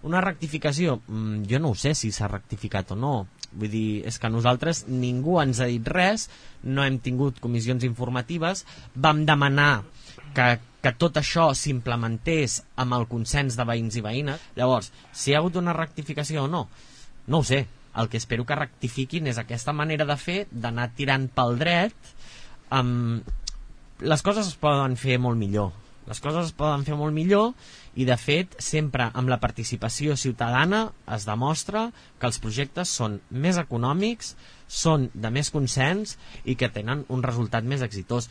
Una rectificació, jo no ho sé si s'ha rectificat o no. Vull dir, és que nosaltres ningú ens ha dit res, no hem tingut comissions informatives, vam demanar que tot això s'implementés amb el consens de veïns i veïnes. Llavors, si hi ha hagut una rectificació o no, no ho sé. El que espero que rectifiquin és aquesta manera de fer, d'anar tirant pel dret. Les coses es poden fer molt millor. Les coses es poden fer molt millor i, de fet, sempre amb la participació ciutadana es demostra que els projectes són més econòmics, són de més consens i que tenen un resultat més exitós.